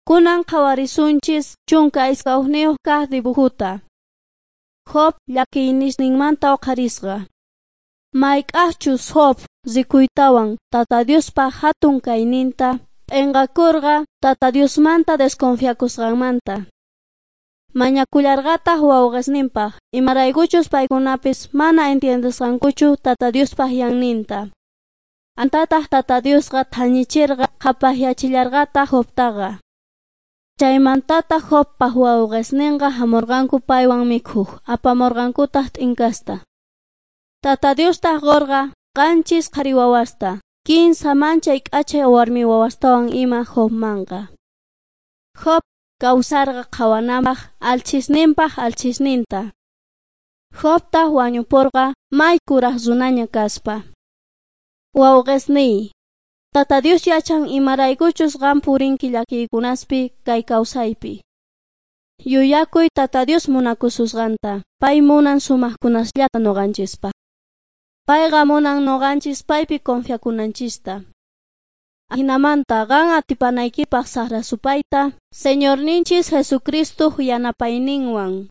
Kunan qhawarisunchis 12 kaq dibujuta. Job llakiynisninmanta uqharisqa. Mayk'ajchus Job rikuytawan Tata Diospa hatun kayninta p'enqakurqa Tata Diosmanta desconfiakusqanmanta. Mañakullarqataq wawqisninpaq imaraykuchus paykunapis mana entiendesqankuchu Tata Diospaq yanninta. Antataq Tata Diosqa thañichirqa qhapaqyachillarqataq Jobtaqa. Chaymantataq Jobpaq wawqisninqa hamurqanku paywan mikhuq, apamurqankutaq t'inkasta. Tata Diostaq qurqa 7 qhari wawasta, 3 manchay k'achay warmi wawastawan ima Jobmanqa. Job kawsarqa qhawananpaq alchisninpaq alchisninta. Jobtaq wañupurqa may kuraq runaña kaspa. Wawqisniy, Tata Dios yachan imaraykuchus qan purinki llakiykunaspi kay kawsaypi. Yuyakuy Tata Dios munakususqanta, pay munan sumaqkunasllata nuqanchispaq. Payqa munan nuqanchis paypi confiakunanchista. Ajinamanta qan atipanaykipaq saqra supayta, Señorninchis Jesucristo yanapayninwan.